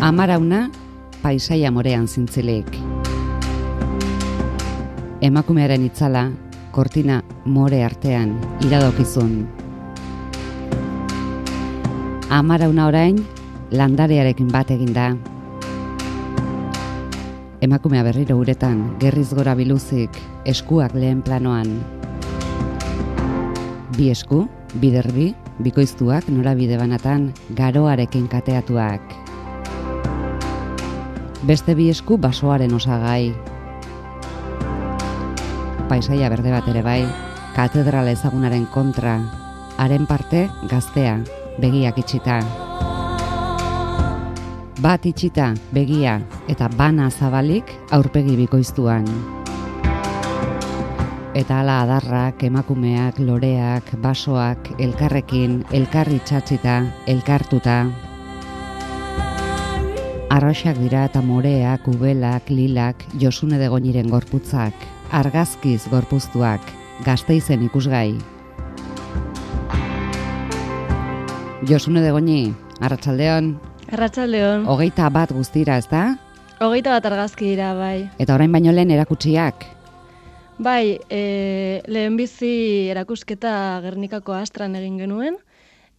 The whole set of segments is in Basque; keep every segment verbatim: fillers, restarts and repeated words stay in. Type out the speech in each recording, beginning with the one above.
Amarauna, paisaia morean zintzilik. Emakumearen itzala, kortina more artean iradokizun. Amarauna orain, landarearekin bat eginda. Emakumea berriro uretan, gerriz gora biluzik, eskuak lehen planoan. Bi esku, biderbi, bikoiztuak norabide banatan, garoarekin kateatuak. Beste bi esku basoaren osagai. Paisaia berde bat ere bai, katedrala ezagunaren kontra, haren parte gaztea, begiak itxita. Bat itxita, begia, eta bana zabalik aurpegi bikoiztuan. Eta hala adarrak, emakumeak, loreak, basoak, elkarrekin, elkarri txatzita, elkartuta. Arroxak dira eta moreak, ubelak, lilak, Josune de Goñiren gorputzak, argazkiz gorpuztuak, Gasteizen ikusgai. Josune de Goñi, arratsaldeon. Arratsaldeon. Hogeita bat guztira, ezta? Hogeita bat argazki dira, bai. Eta orain baino lehen erakutsiak? Bai, e, lehenbizi erakusketa Gernikako Astran egin genuen,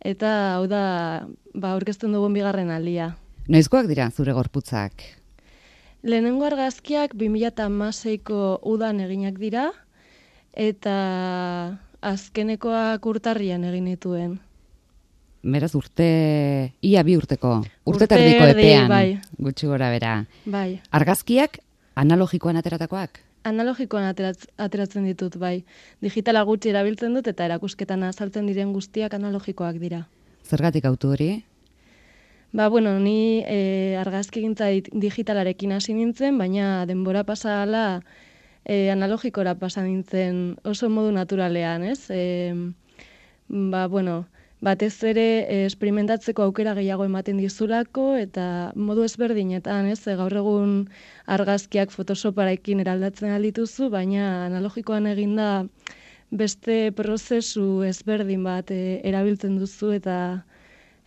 eta hau da, ba, aurkezten dugun bigarren aldia. Noizkoak dira zure gorputzak? Lehenengo argazkiak bi mila hamaseiko udan eginak dira, eta azkenekoak urtarrian egin dituen. Beraz urte, ia bi urteko, urte terdiko epean, bai. Gutxi gora bera. Bai. Argazkiak analogikoan ateratakoak? Analogikoan ateratz, ateratzen ditut, bai. Digitala gutxi erabiltzen dut eta erakusketan azaltzen diren guztiak analogikoak dira. Zergatik autu hori? Ba, bueno, ni e, argazkigintza digitalarekin hasi nintzen, baina denbora pasa hala e, analogikora pasa nintzen oso modu naturalean, ez? E, ba, bueno, batez ere e, esperimentatzeko aukera gehiago ematen dizulako eta modu ezberdinetan, ez? E, gaur egun argazkiak Photoshoparekin eraldatzen aldituzu, baina analogikoan eginda beste prozesu ezberdin bat e, erabiltzen duzu eta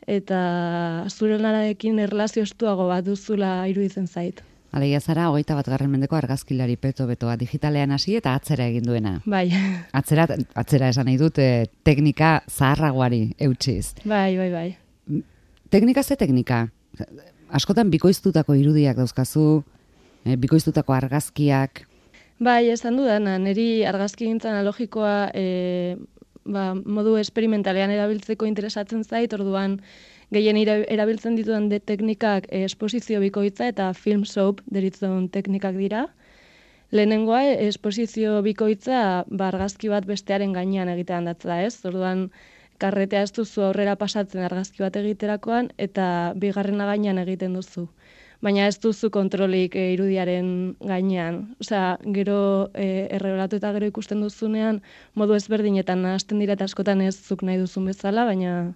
eta zure lanarekin erlazio estuago bat duzula iruditzen zait. Alegia zara, hogeita bat garren mendeko argazkilari peto-betoa digitalean hasi eta atzera egin duena. Bai. Atzera, atzera esan nahi dut, eh, teknika zaharragoari eutsiz. Bai, bai, bai. Teknika ze teknika? Askotan bikoiztutako irudiak dauzkazu, eh, bikoiztutako argazkiak. Bai, esan dudana, niri argazkigintza analogikoa e, ba, modu esperimentalean erabiltzeko interesatzen zait, orduan gehien erabiltzen ditudan de teknikak e, esposizio bikoitza eta film soap deritzen teknikak dira. Lehenengoa, esposizio bikoitza ba, argazki bat bestearen gainean egitean datza, ez? Orduan, karretea ez duzu aurrera pasatzen argazki bat egiterakoan eta bigarrena gainean egiten duzu. Baina ez duzu kontrolik e, irudiaren gainean. Osea, gero e, erregulatu eta gero ikusten duzunean modu ezberdinetan hasten dira eta askotan ez zuk nahi duzun bezala, baina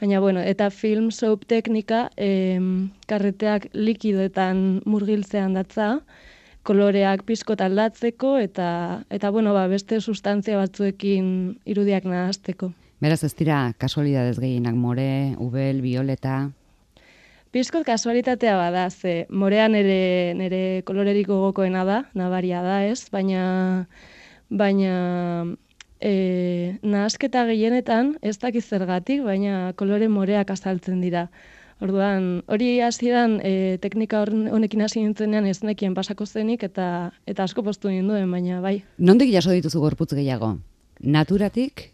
baina bueno, eta film soap teknika e, karreteak likidoetan murgiltzean datza, koloreak pixkot aldatzeko eta eta bueno, ba, beste sustantzia batzuekin irudiak nahasteko. Beraz ez dira kasualidadez gehienak more, ubel, violeta. Pizkot kasualitatea bada, ze morean ere nire kolorerik gogokoena da, nabaria da, ez? Baina baina e, nahasketa gehienetan, ez dakiz zergatik, baina kolore moreak azaltzen dira. Orduan, hori hasieran e, teknika honekin hasi nintzenean ez nekien pasako zenik eta eta asko poztu ninduen, baina bai. Nondik jaso dituzu gorputz gehiago? Naturatik?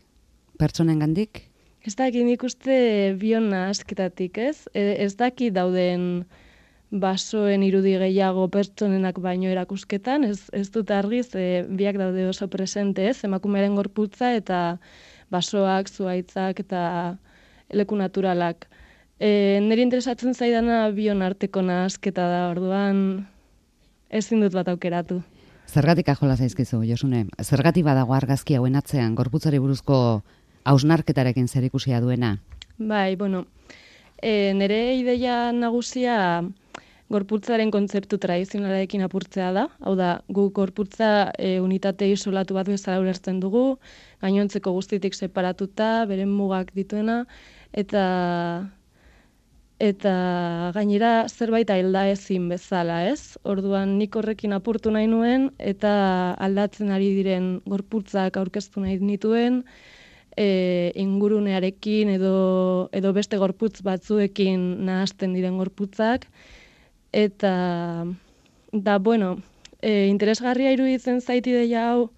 Pertsonengandik? Ez dakit nik uste bion nahasketatik, ez? E, ez dakit dauden basoen irudi gehiago pertsonenak baino erakusketan, ez, ez dut argiz, e, biak daude oso presente, ez? Emakumearen gorputza eta basoak, zuhaitzak eta leku naturalak. E, niri interesatzen zaidana bion arteko nahasketa da, orduan ezin dut bat aukeratu. Zergatik ajola zaizkizu, Josune? Zergatik badago argazki hauen atzean, gorputzari buruzko hausnarketarekin zerikusia duena? Bai, bueno, e, nire ideia nagusia gorputzaren kontzeptu tradizionalarekin apurtzea da. Hau da, gu gorputza e, unitate isolatu bat bezala ulertzen dugu, gainontzeko guztitik separatuta, beren mugak dituena, eta eta gainera zerbait alda ezin bezala, ez? Orduan nik horrekin apurtu nahi nuen, eta aldatzen ari diren gorputzak aurkeztu nahi nituen, e, ingurunearekin edo, edo beste gorputz batzuekin nahasten diren gorputzak, eta da, bueno, e, interesgarria iruditzen zait ideia hau,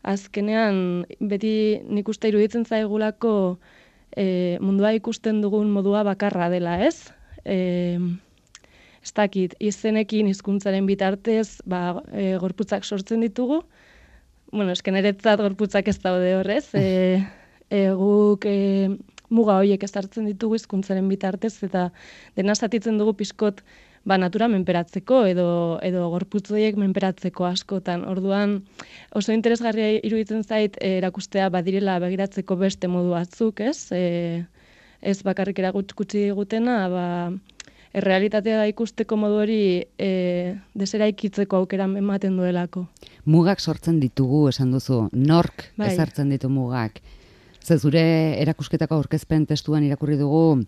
azkenean beti nik uste iruditzen zaigulako e, mundua ikusten dugun modua bakarra dela, ez? E, ez dakit, izenekin hizkuntzaren bitartez ba, e, gorputzak sortzen ditugu. Bueno, esken eretzat gorputzak ez daude horrez. E, e, guk e, muga horiek ezartzen ditugu hizkuntzaren bitartez, eta dena zatitzen dugu pixkot ba, natura menperatzeko edo, edo gorputz horiek menperatzeko askotan. Orduan oso interesgarria iruditzen zait e, erakustea badirela begiratzeko beste modu batzuk, ez? E, ez bakarrik erakutsi digutena, ba, errealitatea ikusteko modu hori e, deseraikitzeko aukera ematen duelako. Mugak sortzen ditugu, esan duzu, nork bai. ezartzen ditu mugak. Ze zure erakusketako aurkezpen testuan irakurri dugu,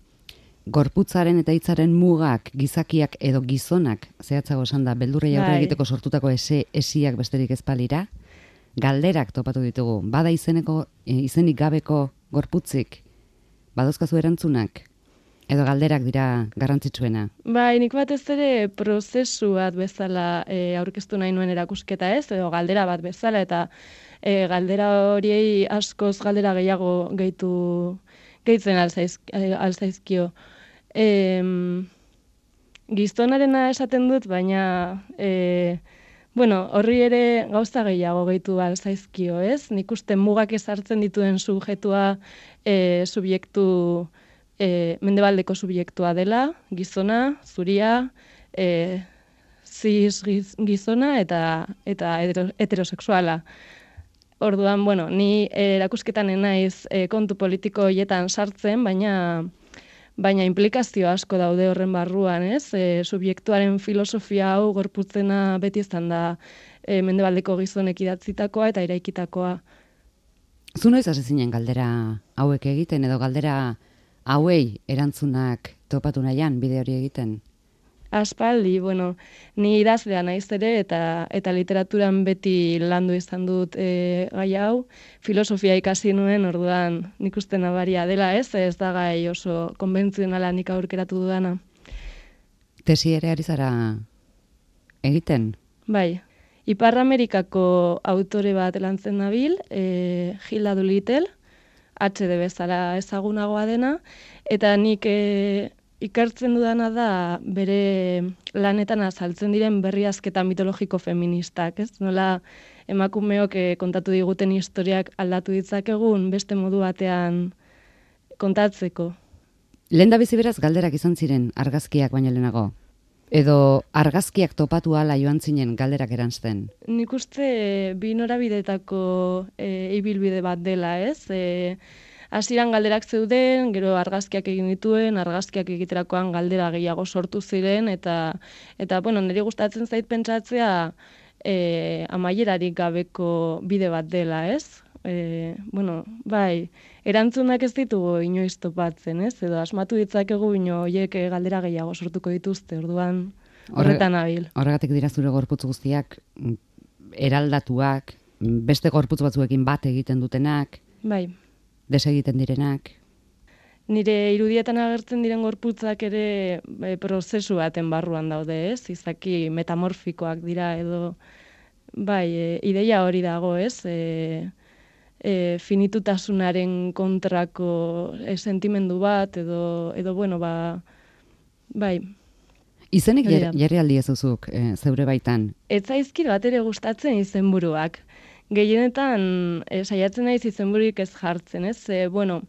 gorputzaren eta hitzaren mugak, gizakiak edo gizonak, zehatzago esan da, beldurrei aurre Bai. egiteko sortutako ese, esiak besterik ez balira, galderak topatu ditugu. Bada izeneko, e, izenik gabeko gorputzik, badozkazu erantzunak, edo galderak dira garrantzitsuena. Bai, nik batez ere prozesu bat bezala e, aurkeztu nahi nuen erakusketa, ez, edo galdera bat bezala, eta e, galdera horiei askoz galdera gehiago gehitu gehitzen alzaiz, alzaizkio. E, gizonarena esaten dut, baina e, bueno, horri ere gauza gehiago gehitu alzaizkio, ez? Nik uste mugak ezartzen dituen subjektua e, subjektu e, mendebaldeko subjektua dela, gizona, zuria, e, cis gizona eta eta heterosexuala. Orduan, bueno, ni erakusketan naiz e, kontu politiko hoietan sartzen, baina baina implikazio asko daude horren barruan, ez? E, subjektuaren filosofia hau gorputzena beti izan da e, mendebaldeko gizonek idatzitakoa eta eraikitakoa. Zu noiz hasi zinen galdera hauek egiten, edo galdera hauei erantzunak topatu nahian bide hori egiten? Aspaldi, bueno, ni idazlea naiz ere, eta eta literaturan beti landu izan dut e, gai hau. Filosofia ikasi nuen, orduan nik uste nabaria dela, ez? Ez da gai oso konbentzionala nik aurkeratu dudana. Tesi ere ari zara egiten? Bai, Ipar Amerikako autore bat lantzen nabil, e, Hilda Doolittle, H D bezala ezagunagoa dena, eta nik e, ikertzen dudana da bere lanetan azaltzen diren berriazketa mitologiko feministak, ez? Nola emakumeok eh, kontatu diguten historiak aldatu ditzakegun beste modu batean kontatzeko. Lehen da bizi beraz galderak izan ziren argazkiak baino lehenago? Edo argazkiak topatu ala joan zinen galderak erantzten? Nik uste bi norabidetako e, ibilbide bat dela, ez? E, Hasieran galderak zeuden, gero argazkiak egin dituen, argazkiak egiterakoan galdera gehiago sortu ziren, eta, eta bueno, niri gustatzen zait pentsatzea e, amaierarik gabeko bide bat dela, ez? E, bueno, bai, erantzunak ez ditugu inoiz topatzen, ez? Edo asmatu ditzakegu ino horiek galdera gehiago sortuko dituzte, orduan horretan nabil. Horregatik dira zure gorputz guztiak eraldatuak, beste gorputz batzuekin bat egiten dutenak, bai, desegiten direnak. Nire irudietan agertzen diren gorputzak ere e, prozesu baten barruan daude, ez? Izaki metamorfikoak dira edo bai, e, ideia hori dago, ez? E, e, finitutasunaren kontrako e, sentimendu bat edo edo bueno, ba bai. Izenik jarri aldi ezuzuk e, zeure baitan. Ez zaizkit bat ere gustatzen izenburuak. Gehienetan e, saiatzen naiz izenbururik ez jartzen, ez? E, bueno,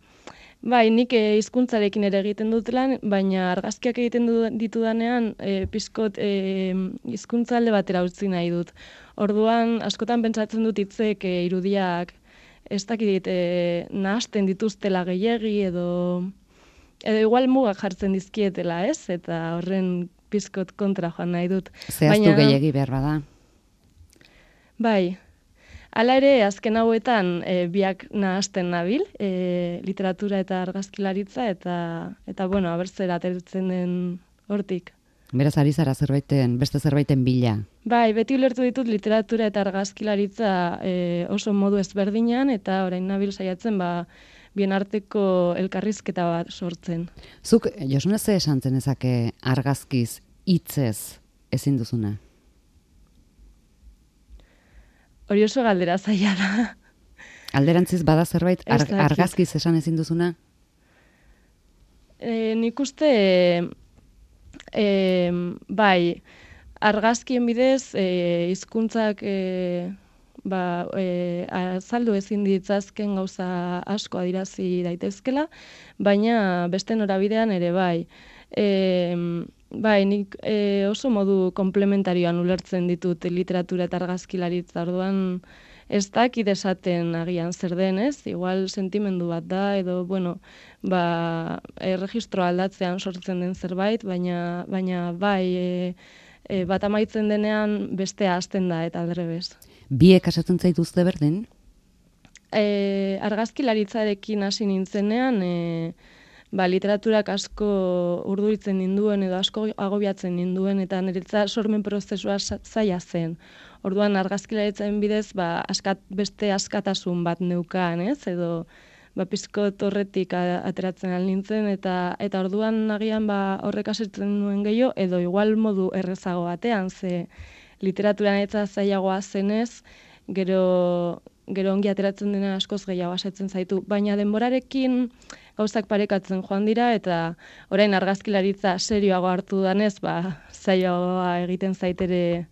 bai, nik hizkuntzarekin ere egiten dut lan, baina argazkiak egiten du, ditudanean e, pizkot e, hizkuntza alde batera utzi nahi dut. Orduan, askotan pentsatzen dut hitzek e, irudiak ez dakit e, nahasten dituztela gehiegi edo edo igual mugak jartzen dizkietela, ez? Eta horren pizkot kontra joan nahi dut. Zehaztu baina, gehiegi behar bada. Bai. Hala ere, azken hauetan e, biak nahasten nabil, e, literatura eta argazkilaritza, eta, eta bueno, abertzera atertzen den hortik. Beraz, ari zara zerbaiten, beste zerbaiten bila. Bai, beti ulertu ditut literatura eta argazkilaritza e, oso modu ezberdinan, eta orain nabil saiatzen, ba, bien arteko elkarrizketa bat sortzen. Zuk, Josune, ze esan zenezake argazkiz, hitzez ezin duzuna? Hori oso galdera zaila da. Alderantziz bada zerbait ar, argazkiz esan ezin duzuna? E, nik uste, e, bai, argazkien bidez, e, hizkuntzak e, ba, e, azaldu ezin ditzazken gauza asko adirazi daitezkela, baina beste norabidean ere bai. E, bai, nik e, oso modu komplementarioan ulertzen ditut literatura eta argazkilaritza, orduan ez dakit esaten agian zer den, ez? Igual sentimendu bat da, edo, bueno, ba, erregistro aldatzean sortzen den zerbait, baina, baina bai, e, e, bat amaitzen denean bestea hasten da, eta aldrebez. Biek asatzen zaituzte berdin? E, argazkilaritzarekin hasi nintzenean, e, ba, literaturak asko urduritzen ninduen edo asko agobiatzen ninduen, eta niretzat sormen prozesua zaila zen. Orduan argazkilaritzaren bidez, ba, askat, beste askatasun bat neukan, ez? Edo ba, pizkot horretik ateratzen al nintzen, eta eta orduan agian ba, horrek asertzen nuen gehiago, edo igual modu errezago batean, ze literaturan eta zailagoa zenez, gero, gero ongi ateratzen dena askoz gehiago asetzen zaitu. Baina denborarekin gauzak parekatzen joan dira, eta orain argazkilaritza serioago hartu danez, ba, zailagoa egiten zaitere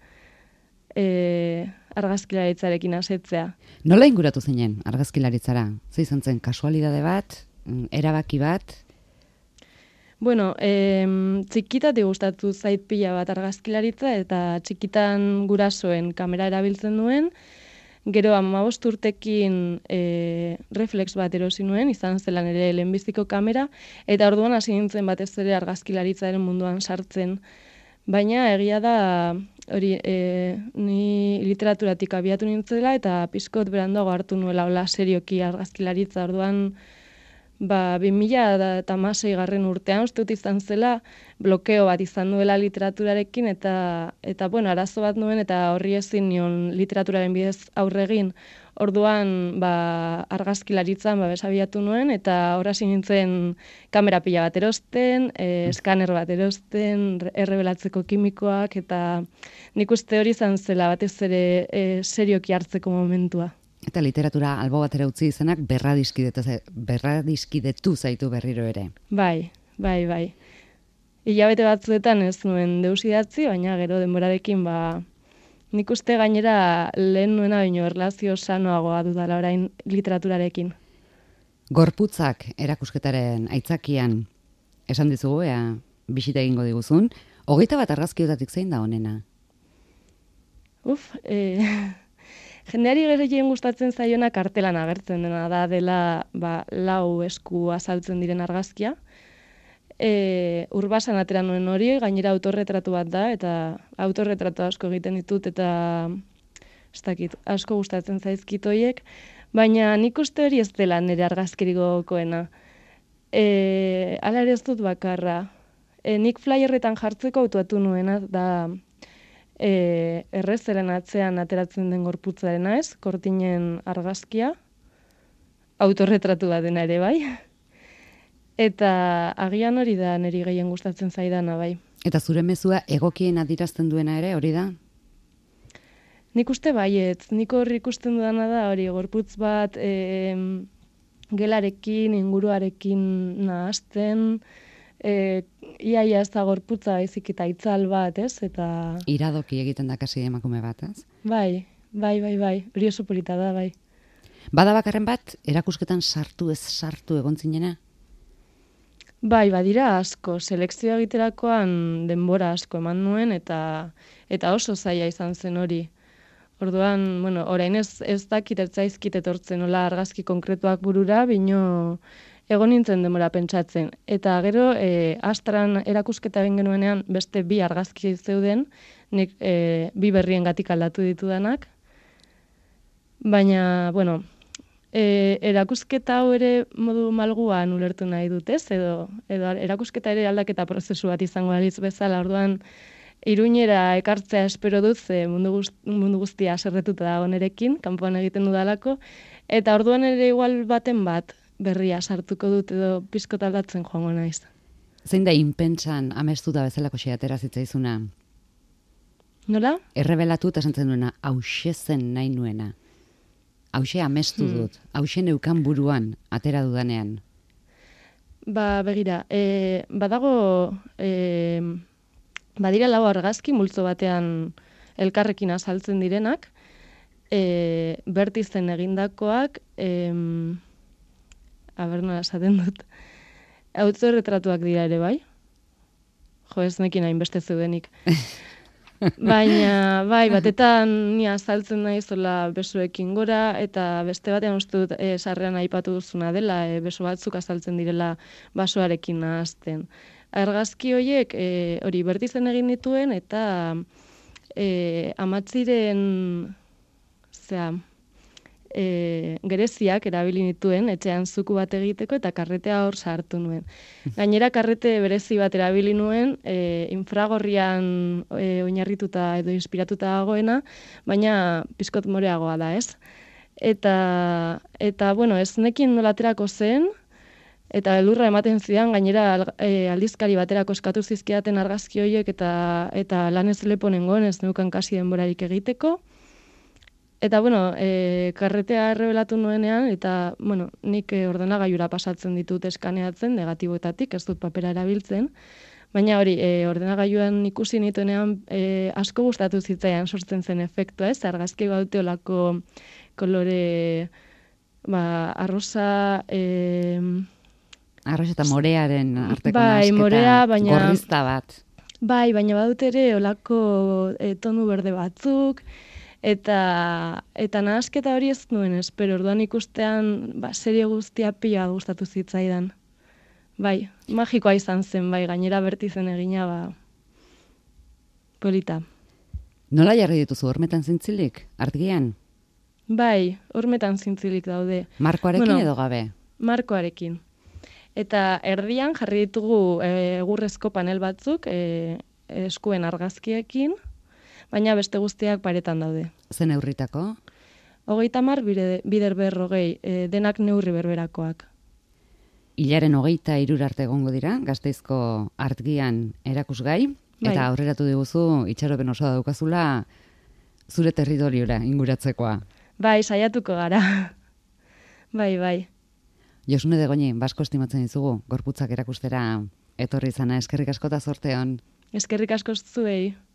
e, argazkilaritzarekin asetzea. Nola inguratu zinen argazkilaritzara? Ze izan zen kasualidade bat, erabaki bat? Bueno, e, txikitatik gustatu zait pila bat argazkilaritza, eta txikitan gurasoen kamera erabiltzen nuen, gero hamabost urtekin e, reflex bat erosi nuen, izan zelan ere lehenbiziko kamera, eta orduan hasi nintzen batez ere argazkilaritzaren munduan sartzen. Baina egia da, hori, e, ni literaturatik abiatu nintzela, eta pizkot beranduago hartu nuela hola serioki argazkilaritza. Orduan, ba, bi mila hamasei garren urtean, uste dut izan zela, blokeo bat izan nuela literaturarekin, eta, eta bueno, arazo bat nuen, eta horri ezin nion literaturaren bidez aurregin. Orduan, ba, argazkilaritzan ba, besabiatu nuen, eta horasi nintzen kamera pila bat erosten, e, eskaner bat erosten, errebelatzeko kimikoak, eta nik uste hori izan zela batez ere e, serioki hartzeko momentua. Eta literatura albo batera utzi izenak berradiskidetu zaitu berriro ere. Bai, bai, bai. Hilabete batzuetan ez nuen deus idatzi, baina gero denborarekin ba, nik uste gainera lehen nuena baino erlazio sanoagoa dudala orain literaturarekin. Gorputzak erakusketaren aitzakian esan dizugu, ea bisita egingo diguzun, hogeita bat argazkiotatik zein da honena? Uf, e, jendeari gehien gustatzen zaiona kartelan agertzen dena da, dela ba, lau esku azaltzen diren argazkia. E, urbasan atera nuen hori, gainera autorretratu bat da, eta autorretratu asko egiten ditut, eta ez dakit, asko gustatzen zaizkit horiek, baina nik uste hori ez dela nire argazkirikokoena. E, Hala ere ez dut bakarra. E, nik flyerretan jartzeko autuatu nuena, da e, errezeren atzean ateratzen den gorputzarena ez, kortinen argazkia, autorretratu bat dena ere bai. Eta agian hori da niri gehien gustatzen zaidana bai. Eta zure mezua egokien adirazten duena ere hori da? Nik uste baietz, nik hori ikusten dudana da hori gorputz bat e, gelarekin, inguruarekin nahazten, e, iaia ez da gorputza baizik eta itzal bat, ez? Eta iradoki egiten da kasi emakume bat, ez? Bai, bai, bai, bai, hori oso polita da, bai. Bada bakarren bat, erakusketan sartu ez sartu egon zinena? Bai, badira asko, selekzioa egiterakoan denbora asko eman nuen, eta eta oso zaila izan zen hori. Orduan, bueno, orain ez, ez dakit ertzaizkit etortzen nola argazki konkretuak burura, bino egon nintzen denbora pentsatzen. Eta gero, e, Astran erakusketa egin genuenean beste bi argazki zeuden, nik e, bi berrien gatik aldatu ditudanak, Baina, bueno, e, erakusketa hau ere modu malguan ulertu nahi dut, ez? Edo, edo erakusketa ere aldaketa prozesu bat izango balitz bezala, orduan Iruñera ekartzea espero dut, ze mundu, guzti, mundu guztia serretuta dago nerekin, kanpoan egiten dudalako, eta orduan ere igual baten bat berria sartuko dut edo pizkot aldatzen joango naiz. Zein da inpentsan amestuta bezalako xeatera zitzaizuna? Nola? Errebelatu eta esantzen duena, hause zen nahi nuena. Hause amestu Hmm. dut, hause neukan buruan, atera dudanean. Ba, begira, e, badago, e, badira lau argazki multzo batean elkarrekin azaltzen direnak, e, bertizen egindakoak, em, aber nola esaten dut, autorretratuak dira ere bai? Jo, ez nekin hainbeste zeudenik. Baina, bai, batetan ni azaltzen naizola besoekin gora, eta beste batean uste dut e, sarrean aipatu duzuna dela, e, beso batzuk azaltzen direla basoarekin nahazten. Argazki horiek e, hori bertizen egin dituen, eta e, amatziren, zera, e, gereziak erabili nituen etxean zuku bat egiteko eta karretea hor sartu nuen. Gainera karrete berezi bat erabili nuen e, infragorrian e, oinarrituta edo inspiratuta dagoena, baina pizkot moreagoa da, ez? Eta, eta bueno, ez nekin nola aterako zen, eta elurra ematen zidan, gainera e, aldizkari baterako eskatu zizkidaten argazki horiek eta, eta lan ez lepo nengoen, ez neukan kasi denborarik egiteko. Eta, bueno, e, karretea errebelatu nuenean, eta, bueno, nik e, ordenagailura pasatzen ditut eskaneatzen, negatiboetatik, ez dut papera erabiltzen, baina hori, e, ordenagailuan ikusi nituenean e, asko gustatu zitzaian sortzen zen efektua, ez? Argazki baute olako kolore, ba, arrosa... E, Arroz eta morearen arteko bai, nahasketa, morea, baina, gorrizta bat. Bai, baina badut ere olako e, tonu berde batzuk, eta eta nahasketa hori ez nuen espero, orduan ikustean ba, serie guztia pila gustatu zitzaidan. Bai, magikoa izan zen, bai, gainera bertizen egina, ba, polita. Nola jarri dituzu hormetan zintzilik, argian? Bai, hormetan zintzilik daude. Markoarekin Bueno, edo gabe? Markoarekin. Eta erdian jarri ditugu e, egurrezko panel batzuk, e, eskuen argazkiekin, baina beste guztiak paretan daude. Zen neurritako? Hogeita hamar bider berrogei, e, denak neurri berberakoak. Hilaren hogeita hirura arte egongo dira, Gasteizko artgian erakusgai, Bai. eta aurreratu diguzu itxaropen osoa daukazula zure territoriora inguratzekoa. Bai, saiatuko gara. Bai, bai. Josune Degoni, basko estimatzen dizugu, gorputzak erakustera etorri izana, eskerrik asko eta zorte on. Eskerrik asko zuei.